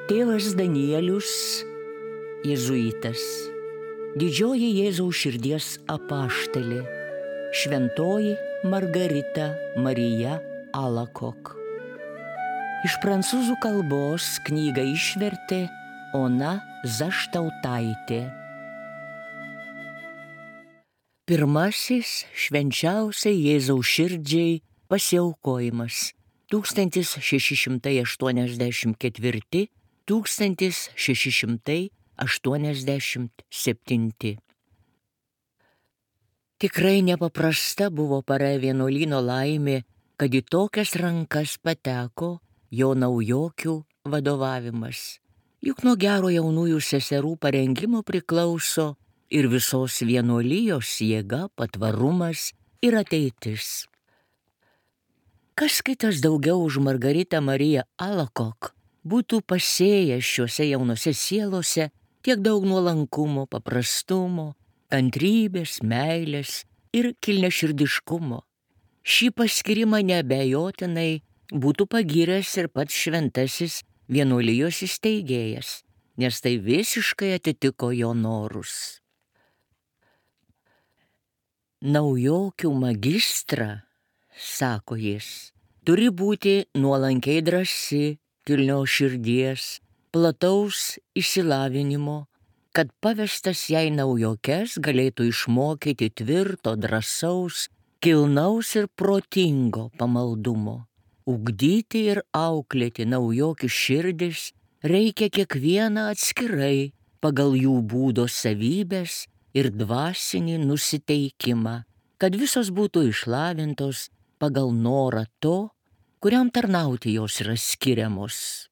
Tėvas Danielius, jėzuitas, didžioji Jėzaus širdies apaštalė, šventoji Margarita Marija Alacoque. Iš prancūzų kalbos knygą išvertė Ona Zaštautaitė. Pirmasis švenčiausiai Jėzaus širdžiai pasiaukojimas 1684–1687. Tikrai nepaprasta buvo para vienuolyno laimė, kad į tokias rankas pateko jo naujokių vadovavimas. Juk nuo gero jaunųjų seserų parengimo priklauso ir visos vienuolijos jėga, patvarumas ir ateitis. Kas kitas daugiau už Margaritą Mariją Alacoque būtų pasėjęs šiuose jaunose sielose tiek daug nuolankumo, paprastumo, kantrybės, meilės ir kilniaširdiškumo. Šį paskyrimą neabejotinai būtų pagyręs ir pats šventasis vienuolijos įsteigėjas, nes tai visiškai atitiko jo norus. Naujokių magistrą, sako jis, turi būti nuolankiai drąsi, kilnios širdies, plataus išsilavinimo, kad pavestas jai naujokes galėtų išmokyti tvirto, drąsaus, kilnaus ir protingo pamaldumo. Ugdyti ir auklėti naujokių širdis reikia kiekvieną atskirai pagal jų būdo savybės ir dvasinį nusiteikimą, kad visos būtų išlavintos pagal norą to, kuriam tarnauti jos yra skiriamos.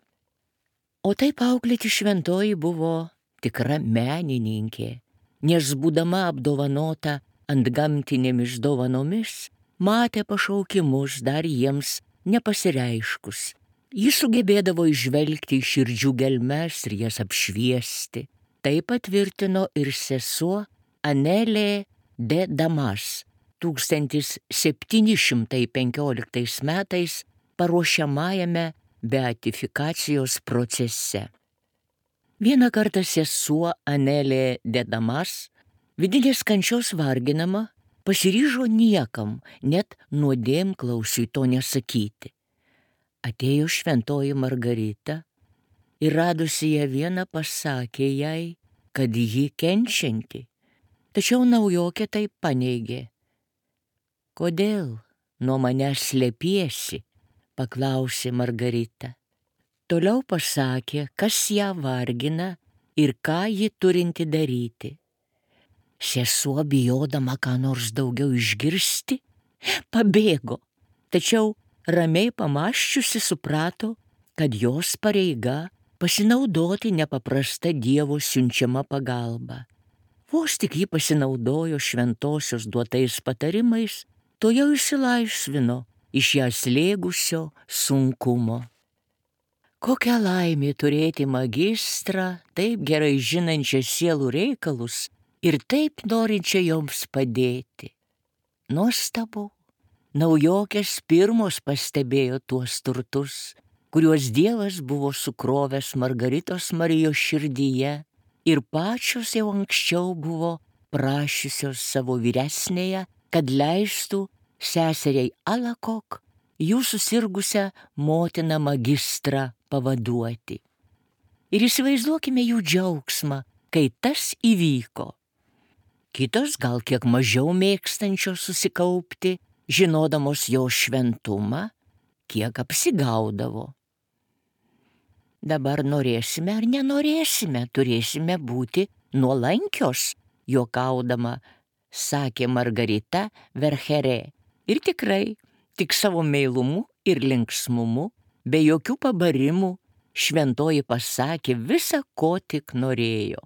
O taip auklėti šventoji buvo tikra menininkė, nes būdama apdovanota antgamtinėmis dovanomis, matė pašaukimus dar jiems nepasireiškus. Jis sugebėdavo įžvelgti į širdžių gelmes ir jas apšviesti. Tai patvirtino ir sesuo Anelė de Damas 1715 metais paruošiamajame beatifikacijos procese. Vieną kartą sesuo Anelė de Damas, vidinės kančios varginama, pasiryžo niekam, net nuodėmklausiui to nesakyti. Atėjo šventoji Margarita ir radusi ją vieną pasakė jai, kad ji kenčianti. Tačiau naujokė tai paneigė. Kodėl nuo manęs slepiesi, paklausė Margarita. Toliau pasakė, kas ją vargina ir ką ji turinti daryti. Sesuo, bijodama ką nors daugiau išgirsti, pabėgo, tačiau ramiai pamąsčiusi suprato, kad jos pareiga pasinaudoti nepaprasta Dievo siunčiama pagalba. Vos tik ji pasinaudojo šventosios duotais patarimais, to jau išsilaisvino iš ją slėgusio sunkumo. Kokia laimė turėti magistrą, taip gerai žinančią sielų reikalus ir taip norinčią joms padėti. Nuostabu, naujokės pirmos pastebėjo tuos turtus, kuriuos Dievas buvo sukrovęs Margaritos Marijos širdyje ir pačios jau anksčiau buvo prašiusios savo vyresnėje, kad leistų seseriai Alacoque jų susirgusią motiną magistrą pavaduoti. Ir įsivaizduokime jų džiaugsmą, kai tas įvyko. Kitos gal kiek mažiau mėgstančios susikaupti, žinodamos jo šventumą, kiek apsigaudavo. Dabar norėsime ar nenorėsime, turėsime būti nuolankios, juokaudama, sakė Margarita Vercherė. Ir tikrai, tik savo meilumu ir linksmumu, be jokių pabarimų, šventoji pasakė visa, ko tik norėjo.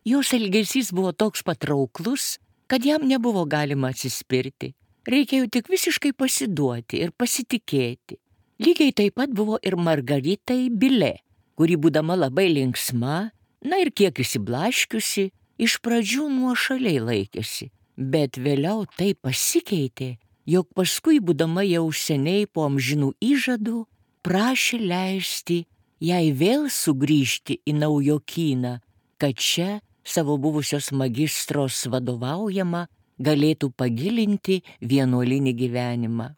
Jos elgesys buvo toks patrauklus, kad jam nebuvo galima atsispirti. Reikėjo tik visiškai pasiduoti ir pasitikėti. Lygiai taip pat buvo ir Margaritai Bilė, kuri būdama labai linksma, na ir kiek įsiblaškiusi, iš pradžių nuošaliai laikėsi, bet vėliau tai pasikeitė, jog paskui būdama jau seniai po amžinų įžadų prašė leisti jai vėl sugrįžti į Naujokyną, kad čia savo buvusios magistros vadovaujama galėtų pagilinti vienuolinį gyvenimą.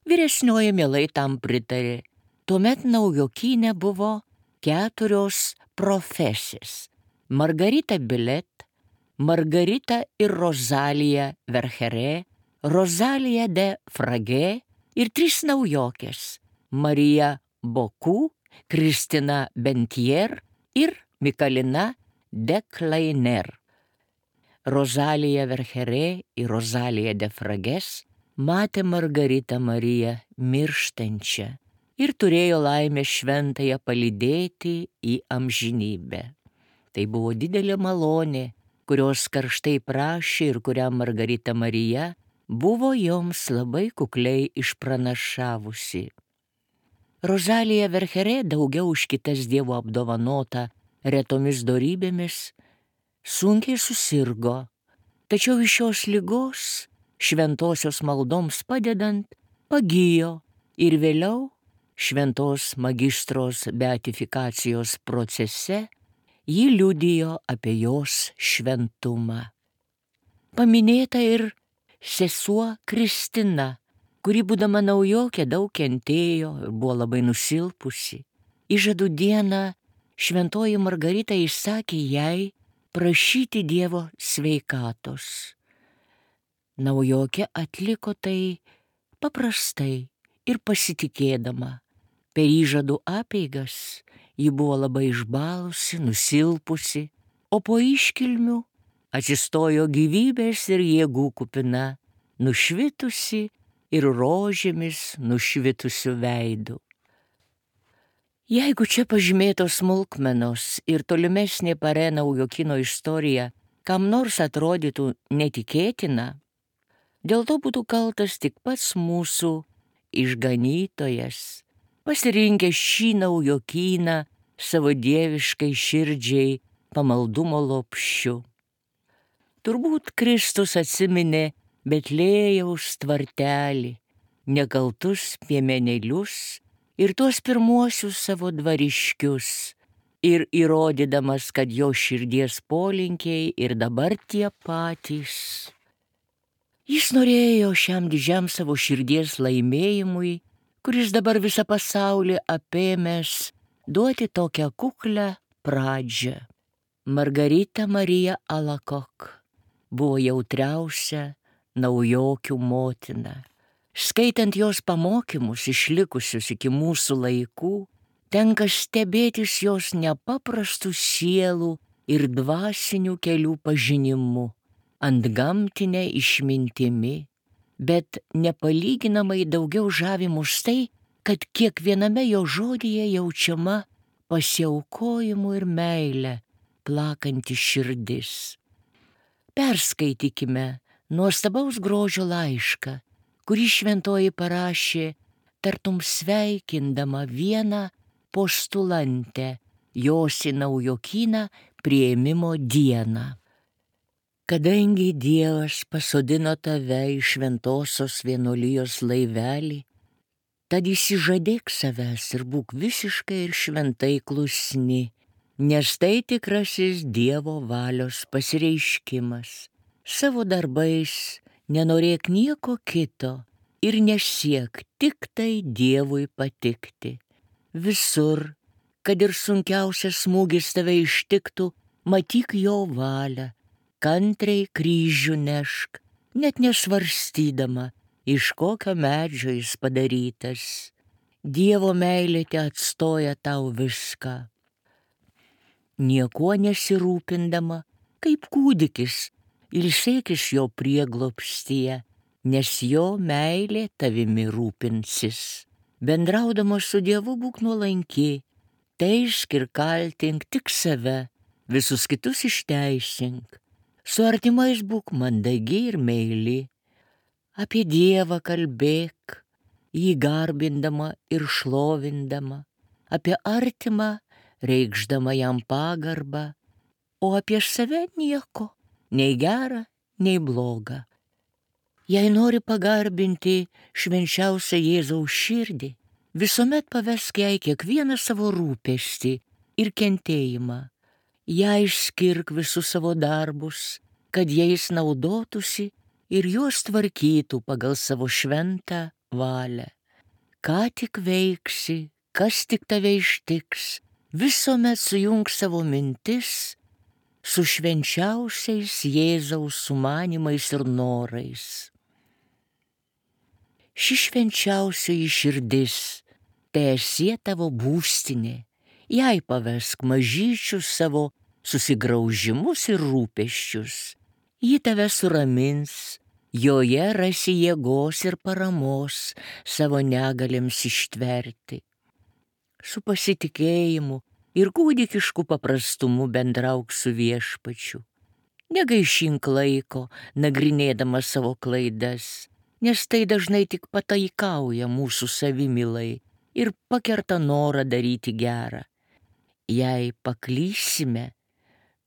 Vyresnioji mielai tam pritarė. Tuomet Naujokyne buvo 4 profesės: Margarita Bilet, Margarita ir Rozalija Vercherė, Rozalija de Fragė ir 3 naujokės: Marija Boku, Kristina Bentier ir Mikalina de Kleiner. Rozalija Vercherė ir Rozalija de Fragės matė Margaritą Mariją mirštančią ir turėjo laimę šventąją palydėti į amžinybę. Tai buvo didelė malonė, kurios karštai prašė ir kurią Margarita Marija buvo joms labai kukliai išpranašavusi. Rozalija Vercherė, daugiau už kitas Dievo apdovanota retomis dorybėmis, sunkiai susirgo, tačiau iš šios ligos šventosios maldoms padedant pagijo ir vėliau šventos magistros beatifikacijos procese ji liudijo apie jos šventumą. Paminėta ir sesuo Kristina, kuri būdama naujokė daug kentėjo ir buvo labai nusilpusi. Įžadų dieną šventoji Margarita įsakė jai prašyti Dievo sveikatos. Naujokė atliko tai paprastai ir pasitikėdama. Per įžadų apeigas ji buvo labai išbalusi, nusilpusi, o po iškilmių atsistojo gyvybės ir jėgų kupina, nušvitusi ir rožėmis nušvitusiu veidu. Jeigu čia pažymėtos smulkmenos ir tolimesnė Parė Naujokyno istorija kam nors atrodytų netikėtina, dėl to būtų kaltas tik pats mūsų išganytojas, pasirinkęs šį Naujokyną savo dieviškai širdžiai pamaldumo lopšiu. Turbūt Kristus atsiminė Betlėjaus tvartelį, nekaltus piemenėlius ir tuos pirmuosius savo dvariškius, ir įrodydamas, kad jo širdies polinkiai ir dabar tie patys. Jis norėjo šiam didžiam savo širdies laimėjimui, kuris dabar visą pasaulį apėmęs, duoti tokią kuklę pradžią. Margarita Marija Alakok buvo jautriausia naujokių motina. Skaitant jos pamokymus išlikusius iki mūsų laikų, tenka stebėtis jos nepaprastų sielų ir dvasinių kelių pažinimu, antgamtinė išmintimi, bet nepalyginamai daugiau žavi mus tai, kad kiekviename jo žodyje jaučiama pasiaukojimu ir meile plakanti širdis. Perskaitykime nuostabaus grožio laišką, kurį šventoji parašė, tartum sveikindama vieną postulantę jos į Naujokyną priėmimo dieną. Kadangi Dievas pasodino tave į šventosios vienuolijos laivelį, tad išsižadėk savęs ir būk visiškai ir šventai klusni, nes tai tikrasis Dievo valios pasireiškimas. Savo darbais nenorėk nieko kito ir nesiek tik tai Dievui patikti. Visur, kad ir sunkiausias smūgis tave ištiktų, matyk jo valią, kantriai kryžių nešk, net nesvarstydama, iš kokio medžio jis padarytas. Dievo meilė te atstoja tau viską. Niekuo nesirūpindama, kaip kūdikis, ilsėkis jo prieglobstyje, nes jo meilė tavimi rūpinsis. Bendraudama su Dievu būk nuolanki, teisk ir kaltink tik save, visus kitus išteisink. Su artimais būk mandagi ir meili. Apie Dievą kalbėk, jį garbindama ir šlovindama, apie artimą reikšdama jam pagarbą, o apie save nieko, nei gera, nei bloga. Jei nori pagarbinti švenčiausią Jėzaus širdį, visuomet pavesk jai kiekvieną savo rūpestį ir kentėjimą. Jai skirk visus savo darbus, kad jais naudotųsi ir juos tvarkytų pagal savo šventą valią. Ką tik veiksi, kas tik tave ištiks, visuomet sujunk savo mintis su švenčiausiais Jėzaus sumanimais ir norais. Ši švenčiausioji širdis teesie tavo būstinė, jai pavesk mažyčius savo susigraužimus ir rūpesčius. Ji tave suramins, joje rasi jėgos ir paramos savo negalėms ištverti. Su pasitikėjimu ir kūdikišku paprastumu bendrauk su Viešpačiu. Negaišink laiko, nagrinėdama savo klaidas, nes tai dažnai tik pataikauja mūsų savimylai ir pakerta norą daryti gerą. Jei paklysime,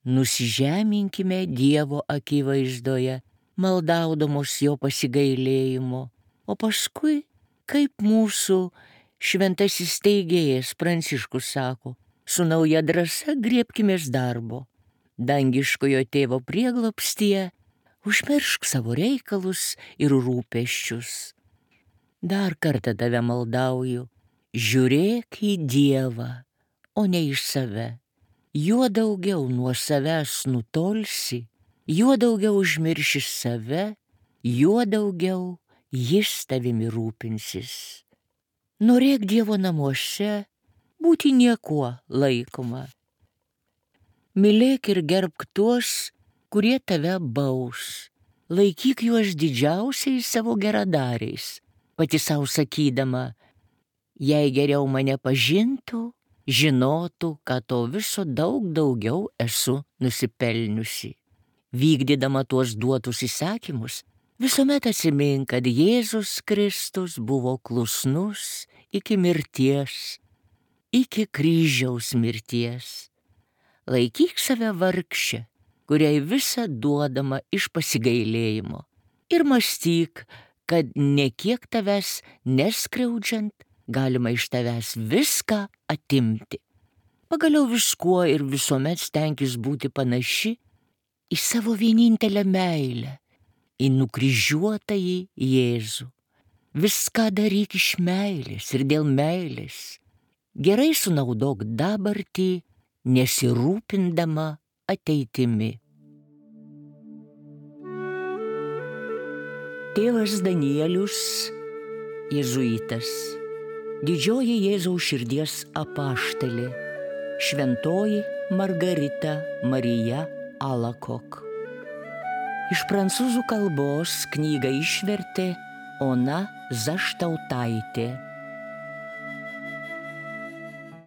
nusižeminkime Dievo akivaizdoje, maldaudamos jo pasigailėjimo, o paskui, kaip mūsų šventasis steigėjas Pranciškus sako, su nauja drąsa griebkimės darbo. Dangiškojo tėvo prieglobstyje užmiršk savo reikalus ir rūpesčius. Dar kartą tave maldauju, žiūrėk į Dievą, o ne iš save. Juo daugiau nuo savęs nutolsi, juo daugiau užmirši save, juo daugiau jis tavimi rūpinsis. Norėk Dievo namuose būti niekuo laikoma. Mylėk ir gerbk tuos, kurie tave baus. Laikyk juos didžiausiais savo geradariais, pati sau sakydama, jei geriau mane pažintų, žinotų, kad to viso daug daugiau esu nusipelniusi. Vykdydama tuos duotus įsakymus, visuomet atsimink, kad Jėzus Kristus buvo klusnus iki mirties, iki kryžiaus mirties. Laikyk save vargšę, kuriai visa duodama iš pasigailėjimo, ir mąstyk, kad nekiek tavęs neskriaudžiant, galima iš tavęs viską atimti. Pagaliau viskuo ir visuomet stenkis būti panaši į savo vienintelę meilę, į nukryžiuotąjį Jėzų. Viską daryk iš meilės ir dėl meilės. Gerai sunaudok dabartį, nesirūpindama ateitimi. Tėvas Danielius, jėzuitas, didžioji Jėzaus širdies apaštalė, šventoji Margarita Marija Alakok. Iš prancūzų kalbos knygą išvertė Ona Zaštautaitė.